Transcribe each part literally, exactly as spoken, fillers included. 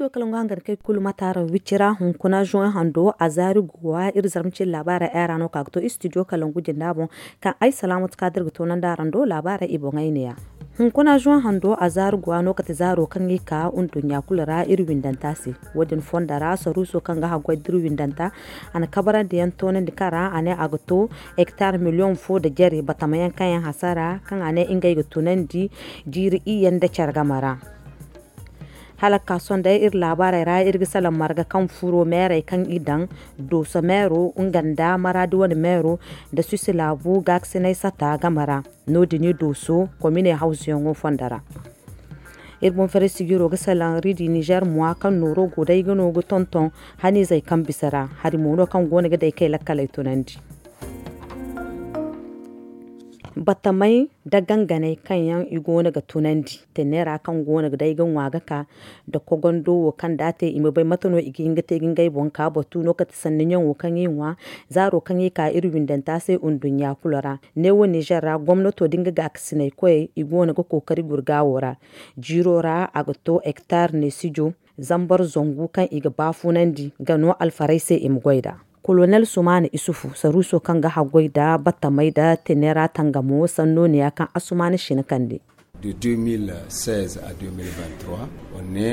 Kalangu hangan kay kulu mataara wicira hunkuna juwan hando a zaari guwa iri zarma cin labaara era no ka ga to istidiyo kalangu jinda boŋ. Kaŋ ay salaamatu ka dira ga toonandi araŋ do labaara i boŋay ne ya. Hunkuna juwan hando a zaari guwa no kate zaaro kaŋ i ka nduɲɲa kulu ra iri windanta se. Wo- din fondo ra saruuso kaŋ ga haggoy da iri windanta a na kabarandi yaŋ toonandi kaŋ ra a ne a ga to hektar miliyoŋ fo nda jare batamayaŋ kaŋ yaŋ hasara kaŋ a ne ngey ga tunandi jiiri iyye nda care game ra. Hala ga ka sohõ day iri laabaarey ra iri ga salaŋ marga kaŋ furo meerey kaŋ i daŋ dooso meero nga nda maraadi wane meero nda susi laabu gaakasinay sata game ra. No- din dooso komine hawzuyaŋo fondo ra. Iri boŋ fere sijiro ga salaŋ ridi nizer muwa kaŋ nooro go day ga no ga tonton haniizey kaŋ bisa ra hari mo no kaŋ go no ga day kay lakkaley tunandi. Battamey nda ganganey kaŋ yaŋ i go no ga tunandi tenera kaŋ go no ga day ga ŋwa ga ka nda kogondo wo kaŋ da a te i ma bay mate no i ga hin ga te ga ngey boŋ ka batu no kate sanni ɲaŋo kaŋ i ŋwa zaaro kaŋ i ka iri windanta se nduɲɲa kulu ra. Neewo nizer ra gomnato da nga gaakasinay koyey i go no ga kookari gurgaawo ra. Jiiro ra a ga to hektar neesijo zambar zangu kaŋ i ga baafunandi ga no alfarey se i ma goy nd'a. Kolonel sumaana isufu saruuso kaŋ ga haggoy nda battamey nda tenera tangamo sanno ne ya kaŋ asumaana sina kande.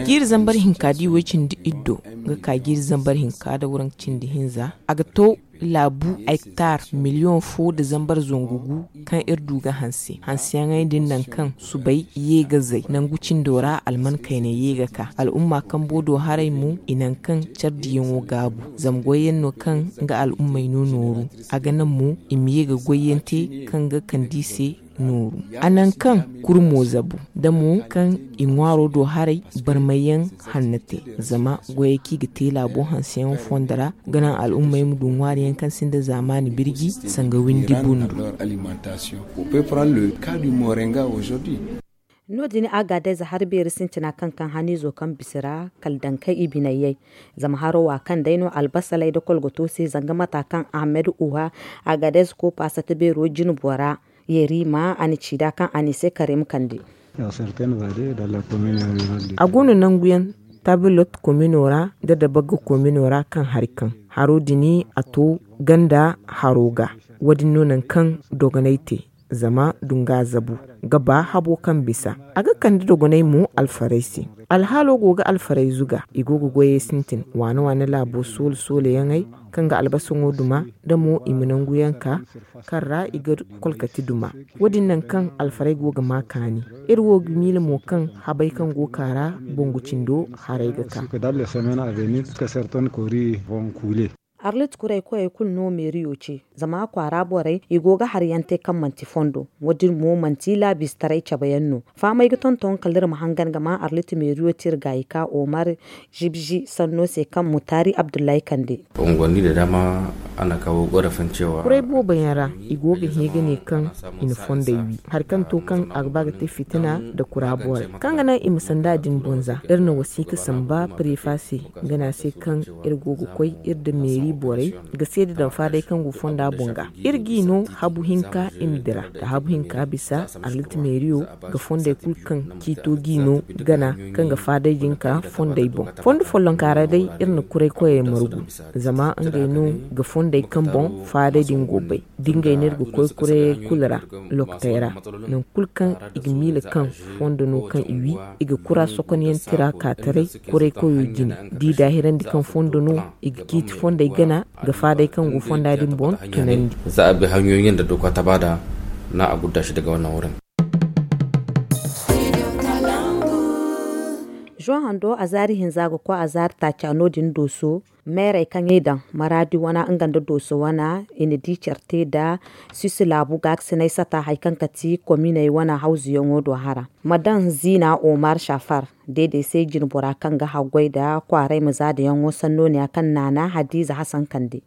Jiiri zambar hinka da i way cindi iddo ga ka jiiri zambar hinka da waranka cindi hinza a ga to laabu hektar miliyoŋ fo nda zambar zangu gu kaŋ iri du ga hanse hanseyaŋey din nangu kaŋ subay ye ga zay nangu cindo ra alman kaynay ye ga ka al'umma kambo do haray mo i nangu kaŋ care diyaŋo gaabu. Zama goyyaŋ no kaŋ nga al'ummey no nooru a ga naŋ mo i ma ye ga goyyaŋ te kaŋ ga kand'i se nooru. A naŋ kaŋ kurmo zabu da mo kaŋ i ŋwaaro do haray barmayyaŋ hanno te. Zama goyey kaŋ i ga te laabo hanseyaŋo fondo ra ga naŋ al'ummey ma du ŋwaariyaŋ kaŋ sinda zaamaani birji sanga windi bundu. No- din agadez hari beeri sintina kaŋ kaŋ haniizo kaŋ bisa ra kala daŋ kaŋ i biney yay. Zama haro wa kaŋ day no albasaley nda kolgoto se zanga mata kaŋ ahmed uha agadez ko paasata beero jine bora. Yerima a na ci nd'a kaŋ a n'i se karim kande. A go no nangu yaŋ tabilot komino ra nda dabagga komino ra kaŋ hari kaŋ haro din a to ganda haro ga. Wo- din no nangu kaŋ dogonay te zama dunga zabu ga ba habo kaŋ bisa a ga kande dogonay mo alfarey se. Alhaalo go ga alfarey zuga i go ga goyey sintin waane waane laabo soole soole yaŋey kaŋ ga albasaŋo duma da mo i ma nangu yaŋ ka kaŋ ra i ga kolkati duma. Wo- din nangu kaŋ alfarey go ga ma kaani. Iri wo ga miila mo kaŋ habey kaŋ go ka ra bangu cindo haray ga ka. Arlit kurey koyey kulu no meeriyo ce zama kwaara borey i go ga hari yaŋ te kaŋ manti fondo. Wo- din mo manti laabistaray cabe yaŋ no. Fahamey ga tonton kala iri ma hangan ga ma arlit meeriyo te iri gaayi ka omar zibzi sanno se kaŋ mutaari abdullahi kande. Kuray boobo yaŋ ra i go ga hẽ ga ne kaŋ i na fondey wi hari kaŋ to kaŋ a ga ba ga te fitina nda kura borey kaŋ ga naŋ i ma sanda din boŋ za iri na wasiika samba prefa se ga ne a se kaŋ iri go ga koy iri nda meeri borey ga seeda daŋ faadey kaŋ go fonda boŋ ga. Iri g'i no habu hinka i ma dira nda habu hinka bisa arlit meeriyo ga fondey kulu kaŋ ciito g'i no gana kaŋ ga faadey din ka fondey boŋ. Fondo follonka ra day iri na kuray koyey margu zama ngey no ga fondey kaŋ boŋ faadey din go bay. Da ngey no iri ga koy kurayey kulu ra lokotey ra nangu kulu kaŋ i ga miila kaŋ fondo no kaŋ i wi i ga kura sokonyaŋ tira ka taray kuray koyo jine. Da i daahirandi kaŋ fondo no i ga ciiti fondey gana ga faadey kaŋ go fonda din boŋ tunandi. Za a bay hanyoyin da doka ta bada na a gudda shi daga wannan wurin. Juwan hando a zaari hinza ga koy a zaari taaca no- din dooso meerey kaŋ i daŋ maraadi wana nga nda dooso wana i na di care te nda sisi laabu gaakasinay sata hari kaŋ ka ti kominey wana hawzuyaŋo do hara. Ma daŋ ziina omar safar deedey se jinbora kaŋ ga haggoy nda kwaaray ma zaadayaŋo sanno ne ya kaŋ naana hadiiza hasan kande.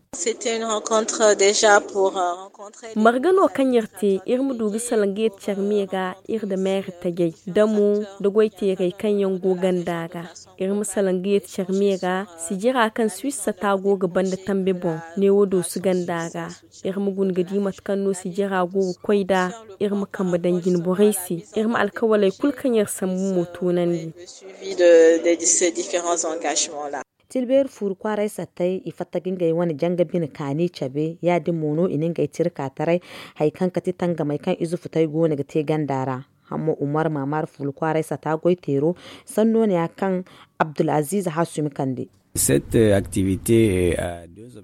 Marga no kaŋ iri te iri ma du ga salaŋ ga yeti care me ga iri nda meeri tajey da mo nda goyteerey kaŋ yaŋ go ganda ga. Iri ma salaŋ ga yeti care me ga sijira kaŋ Bisa ta go ga banda tambe boŋ, neewo doosu ganda ra. Iri ma guna ga di mate kaŋ no sijira go ga koy nd'a. Iri ma kambe daŋ jine borey se. Iri ma alkawaley kulu kaŋ iri sambu mo toonandi. Tilbeeri fuuru kwaaray sattey i fatta ga ngey wane janga bine kaani cabe. Ya-din mo no i na ngey tira ka taray hari kaŋ ga ti tangamey kaŋ ize futey go no ga te ganda ra. Hamma umar maamar fuula kwaaray sata goy teero sanno ne ya kaŋ abdulaziiz hasumi kande.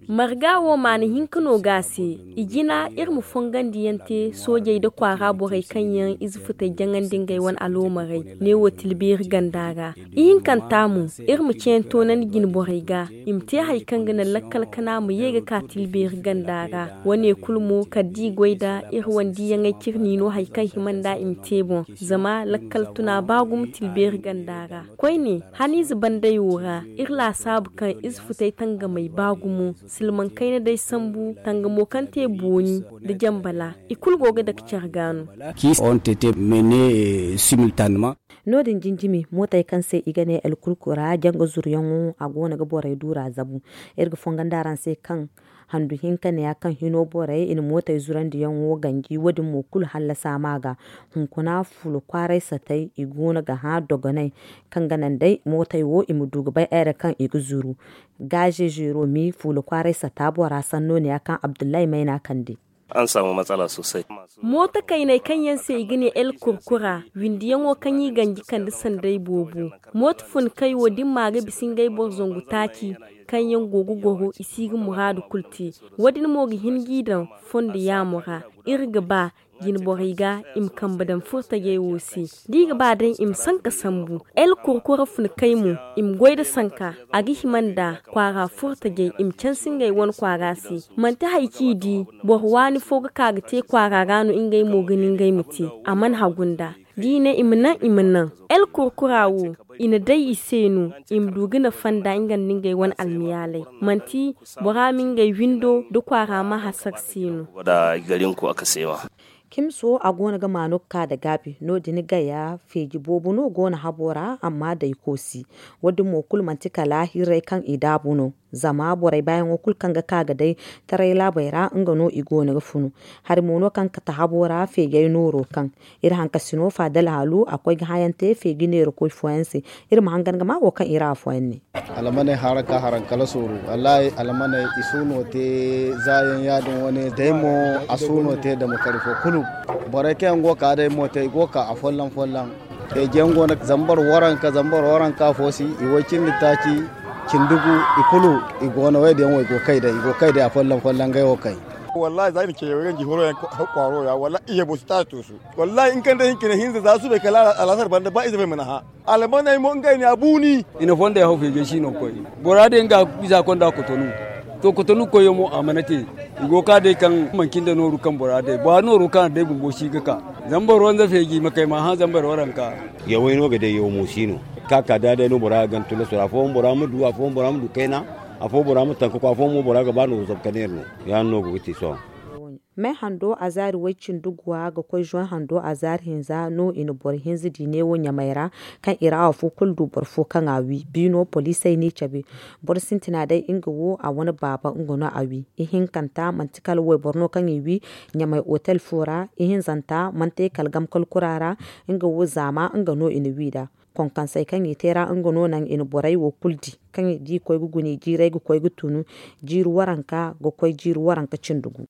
Marga wo maana hinka no ga a se. I jina iri ma fongandi yaŋ te soojey nda kwaara borey kaŋ yaŋ ize futey jaŋandi ngey wane aloomarey. Ne wo tilbeeri ganda ra. Ihinkanta mo, iri ma ceeyaŋ toonandi jine borey ga. I ma te hari kaŋ ga naŋ lakkal kana ma ye ga ka tilbeeri ganda ra. Wane kulu mo kala da i goy nda iri wane diiyaŋey cire niino hari kaŋ hima nd'a i ma te boŋ. Zama lakkal tuna ba gumo tilbeeri ganda ra. Koyne, haniize bandey wo ra iri laasaabu kaŋ ize futey tangamey ba gumo. Silmaŋ kayna day sambu tangamo kaŋ te booni nda jambala, i kulu go ga dake care ga no. No- din jinjimi mootey kaŋ se i ga ne el kurkura janga zuruyaŋo a go no ga borey duura zabu. Iri ga fongandi araŋ se kaŋ handu hinka ne ya kaŋ hino borey i na mootey zurandiyaŋo ganji wo- din mo kulu hallasa ma ga. Hunkuna fuula kwaaray satey i go no ga hã dogoney kaŋ ga naŋ day mootey wo i ma du ga bay ere kaŋ i ga zuru. Gaaze zeero mi fuula kwaaray sata bora sanno ne ya kaŋ abdullahi mayna kande. An samu matsala sosai. Mooto kayney kaŋ yaŋ se i ga ne el kurkura windiyaŋo kaŋ i ganji kande sanday boobo. Mooto fun kay wo da ni ma ga bisa ngey boro zangu taaci kaŋ yaŋ go ga goro i si ga muraadu kulu te. Wo- din mo ga hin g'i daŋ fondo yaamo ra. Iri ga ba jine borey ga i ma kambe daŋ furtajey wo se. Da i ga ba day i ma sanka sambu el kurkura fun kay mo i ma goy nda sanka. A ga hima nda kwaara furtajey i ma canse ngey wane kwaara se. Manti hari kaŋ i di boro waani fo ga ka ga te kwaara ra no ngey mo ga ni ngey ma te. A mana hagu nda da i ne i ma naŋ i ma naŋ el kurkura wo i na day i se no i ma du ga nafa nda nga nda ngey wane almiyaalay. Manti bora ma ngey windo nda kwaara ma hasar se no. Kimso a go no ga maanu ga ka nda gaabi no- din gaya feeji boobo no go no habo ra amma day koosi. Wo- din mo kulu manti kala hirray kaŋ i daabu no. Zama borey baayaŋo kulu kaŋ ga ka ga day taray laabey ra nga no i go no ga funu. Hari mo no kaŋ ga kate habo ra feejey nooro kaŋ iri hankasino faadal haalu a koy ga hayaŋ te feeji neerakoy fooyaŋ se. Iri ma hangan ga ma wo kaŋ iri afooyaŋ ne. Almaney hara ka haraŋ kala sooru. Wallahi almaney i suuno te zaayaŋ ya- din wane day mo a suuno te dama kari fo kulu. Borey kaŋ yaŋ go ga ka day mo te i go ga ka afolloŋ folloŋ. Feejiyaŋ go no zambar waranka zambar waranka fo si i way cindi taaci. Cindugu i kulu i go no way diyaŋ wo i go kay day i go kay day afolloŋ folloŋ ngey wo kay. Wallahi za i na ce yaŋ ganji horo yaŋ kwaaro ya wallahi i hebo si taaci to su. Wallahi in kande hinkine hinza za subay kala alasar banda ba ize fay mana hã. Almaney mo ngey ne a buuni. I na fondey haw feejey si no koy. Bora day nga iza konda kotonu. To kotonu koyyaŋ mo a mana te. I go ga ka day kaŋ manci nda nooru kaŋ bora day ba nooru kaŋ a day bumbo si ga ka. Zambar wanza feeji ma kay ma hã zambar waranka. Yawey no ga day yaw mo si no. Ka ka da day no bora ga gana tulaso ra afooyaŋ bora ma du afooyaŋ bora ma du kayna. Afooyaŋ bora ma tanka koy afooyaŋ mo bora ga ba no zabu ka neera no. Ya- din no go ga te sohõ. Me hando azaari way-cindi guwa ga koy zoŋ hando azaari hinza no i na boro hinza di neewo ɲamay ra. Kaŋ i ra afo kulu du boro fo kaŋ a wi biino poliisey n'i cabe. Boro sintina day nga wo a wane baaba nga no a wi. Ihinkanta manti kala wayboro no kaŋ i wi. Ɲamay otel fo ra ihinzanta manti kala gamkal kura ra. Nga wo zaama nga no i na wi nd'a. Konkansey kaŋ i te ra nga no naŋ i na borey wo kulu di. Kaŋ i di koy ga guna i jiirey ga koy ga tunu jiiri waranka ga koy jiiri waranka cindi gu.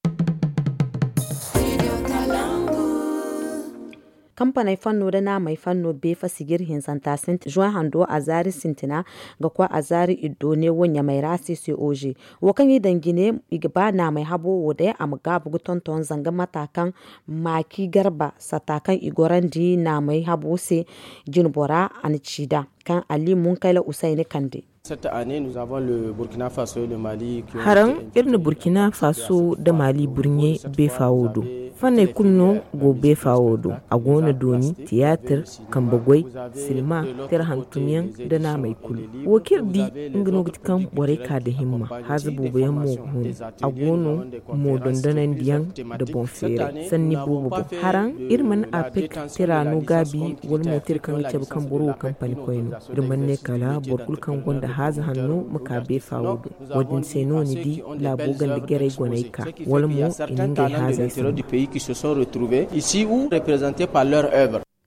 Kampaney fanno nda naamey fanno beefa sijir hinzanta sintina zuwa hando azaari sintina ga koy azaari iddo neewo ɲamay ra se se oze. Wo kaŋ i daŋ jine i ga ba naamey habo wo day a ma gaabu ga tonton zanga mata kaŋ maaki garba sata kaŋ i gorandi naamey habo se. Jinbora a na ci nd'a kaŋ ali munkayla usayni kande. Haraŋ iri na burkina faso nda mali burɲe beefa wo do. Fanney kulu no go beefa wo do. A go no dooni, tiyaatir, kambe goy, silma, tira hantumyaŋ, nda naamey kulu. Wo kaŋ iri di, nga no ga ti kaŋ borey ka da himma. Haaza boobo yaŋ mo ga hun. A go no mo dondonandiyaŋ nda boŋ feeray sanni boobo boŋ. Haraŋ, iri mana apek tira no gaabi, wala mo tira kaŋ ga cabe kaŋ boro wo kampani koy no. Iri mana ne kala boro kulu kaŋ gonda haaza hanno ma ka beefa wo do. Wo-din se no ni di laabo ganda jarey goney ka, wala mo i na ngey haazey sambu.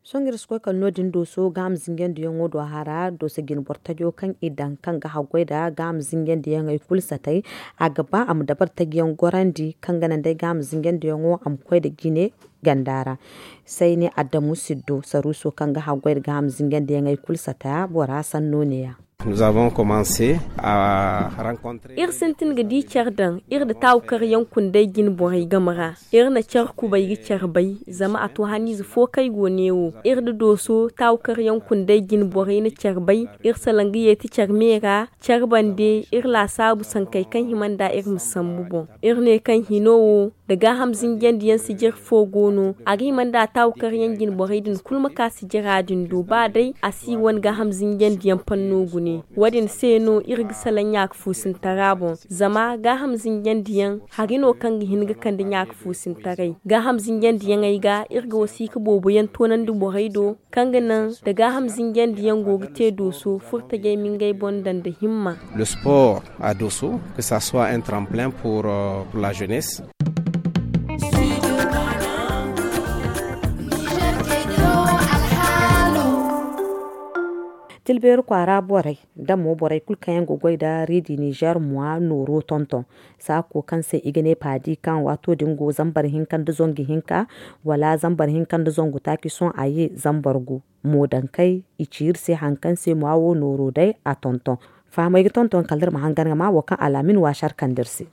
Sohõ iri si koy kala no-din dooso gaaham zinjandiyaŋo do a hara dooso jine boro tajo kaŋ i daŋ kaŋ ga haggoy nda gaaham zinjandiyaŋey kulu satay. A ga ba a ma dabari tajiyaŋ gorandi kaŋ ga naŋ day gaaham zinjandiyaŋo a ma koy nda jine ganda ra. Sayne adamu siddo saruuso kaŋ ga haggoy nda gaaham zinjandiyaŋey kulu sataya bora sanno neeya. Iri sintin ga di care daŋ iri nda taawu karyaŋ kundey jine borey game ra. Iri na care kubay ga care bay zama a to haniize fo kaŋ ay go neewo iri nda dooso taawu karyaŋ kundey jine borey na care bay. Iri salaŋ ga yeeti care me ra care bande iri laasaabu sankey kaŋ hima nda iri ma sambu boŋ. Iri ne kaŋ hino wo nda gaaham zinjandiyaŋ sijir fo go no a ga hima nda a taawu karyaŋ jine borey din kulu ma ka sijira din do ba day a si wane gaaham zinjandiyaŋ panno gune. Wo-din se no iri ga salaŋ ɲaaka fuusintara boŋ zama gaaham zinjandiyaŋ hari no kaŋ ga hin ga kande ɲaaka fuusintaray. Gaaham zinjandiyaŋey ga iri ga wasiika boobo yaŋ toonandi borey do kaŋ ga naŋ nda gaaham zinjandiyaŋ go ga te dooso furtajey ma ngey boŋ daŋ nda himma. Le sport à Dosso, que ça soit un tremplin pour la jeunesse. Tilbeeri kwaara borey nda mo borey kulu kaŋ yaŋ ga goy nda riidi nizer mwa nooro tonton saako kaŋ se i ga ne paadi kaŋ waato din go zambar hinka nda zangu hinka wala zambar hinka nda zangu taaci sohõ a ye zambar gu. Mo dankey i ci iri se hari kaŋ se mwa wo nooro day a tonton. Fahamey ga tonton kala iri ma hangan ga ma wo kaŋ alaamin waasar kande iri se.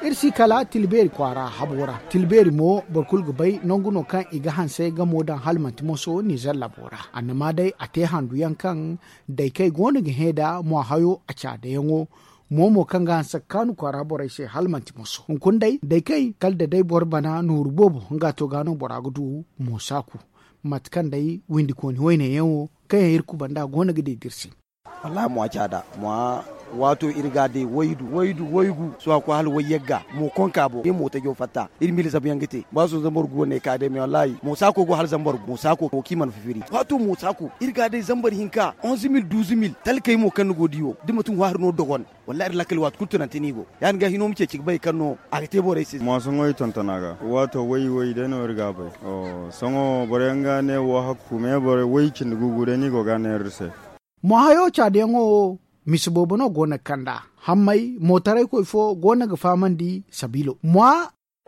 Iri si kala tilbeeri kwaara habo ra tilbeeri mo boro kulu ga bay nangu no kaŋ i ga hanse gamo daŋ hala manti moso nizer labo ra annama day a te handu yaŋ kaŋ daykey go no ga hẽ nda mwa hayo a caadayaŋo. Mo mo kaŋ ga hanse ga kaanu kwaara borey se hala manti moso hunkuna day daykey kala da day boro bana nooru boobo nga to ga no bora ga du. Mo saaku mate kaŋ day windikooni wayne yaŋ wo kaŋ yaŋ iri kubanda go no ga deedi iri se. Wallahi mo a caada mo a waato iri ga a day waydu waydu waygu sohõ a koy hala wayyagga mo konka bo iri mo tajo fatta iri ma iri zabu yaŋ ga te ba sohõ zambar gu wane ka day me wallahi mo saako go hala zambar gu mo saako wo kaŋ i mana fifiri waato mo saako iri ga a day zambar hinka onze mil douze mil talkey mo kaŋ ni go di wo da manti ŋwaari no dogon. Wallahi iri lakkal waati kulu tunante no i go ya- din ga hino ma ceeci ga bay kaŋ no a ga te borey se. Mo sohõ i tonton a ga waato way way day no iri ga a bay. Sohõ boro yaŋ ga ne wo hakku me boro way cindi gugu day no i go ga a neera iri se. Mo hayo caadayaŋo wo mise boobo no go no ga kand'a hammay mootaraykoy fo go no ga fahamandi sabiilo mo.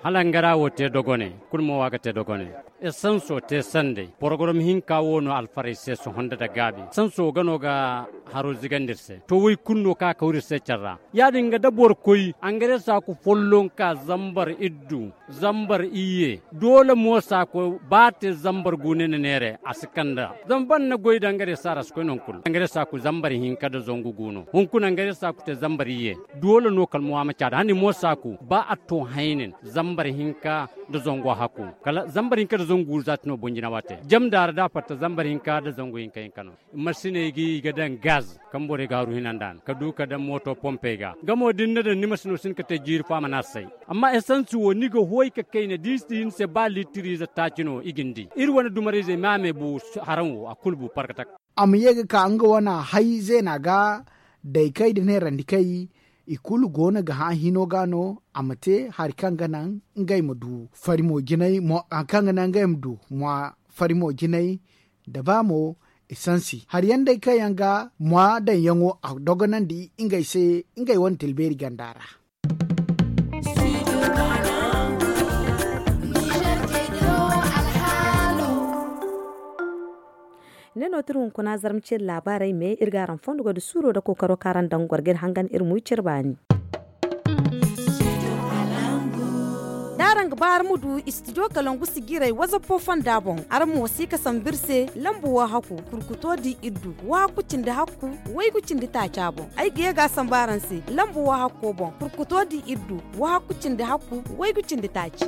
Hala hangara wo te dogone kulu mo wo a ga te dogone. Esanso te sanday porogorom hinka wo no alfarey se sohõ nda da gaabi esanso ga no ga haro zigandi iri se to way kulu no kaŋ a kaw iri se care ra. Ya- din ga da boro koy angaresa ku folloŋ ka zambar iddu zambar iyye doole mo saako ba a te zambar guune na neere a si kand'a zama ba ni na goy da ngare saara si koy nangu kulu ngare saako zambar hinka nda zangu gu no hunkuna ngare saako te zambar iyye. Doole no kala mo a ma caada hani mo saako ba a to haynin zambar hinka nda zangu a hakku kala zambar hinka nda zangu gu za ti no bonjina waate jam daara da a fatta zambar hinka nda zangu hinka hinka no. Masiney ga i ga daŋ gaz kaŋ borey ga haru hinanda no ka du ka daŋ mooto pompey ga nga mo da ni na daŋ ni masino si hin ka te jiiri fo a mana say. Amma esansi wo ni ga hoy ka kayna da i si hin se ba liitiriize taaci no i ga ni di iri wane dumarayzey me a me bu haraŋ wo a kulu bu parkatak. A ma ye ga ka nga wane hay zeena ga daykey da neerandikey i kulu go no ga hã hino ga no a ma te hari kaŋ ga naŋ ngey ma du fari mo jinay mo hari kaŋ ga naŋ ngey ma du mo fari mo jinay da ba mo esansi hari yaŋ day kaŋ yaŋ ga mwa daŋyaŋo a dogonandi ngey se ngey wane tilbeeri ganda ra. Ne no ti iri hunkuna zarma ceeri laabaarey me iri ga araŋ fondo goy da suuro nda kookaro kaŋ araŋ daŋ ga goro ga iri hangan iri ma wi cire baani. Araŋ ga ba araŋ ma du istidiyo kalangu sijiray wazappo fonda boŋ, araŋ ma wasi ka sambu iri se lambu wahakku kurkuto di iri du wahakku cindi hakku waygu cindi taaca boŋ. Ay ga ye ga a sambu araŋ se lambu wahakko boŋ kurkuto di iri du wahakku cindi hakku waygu cindi taaci.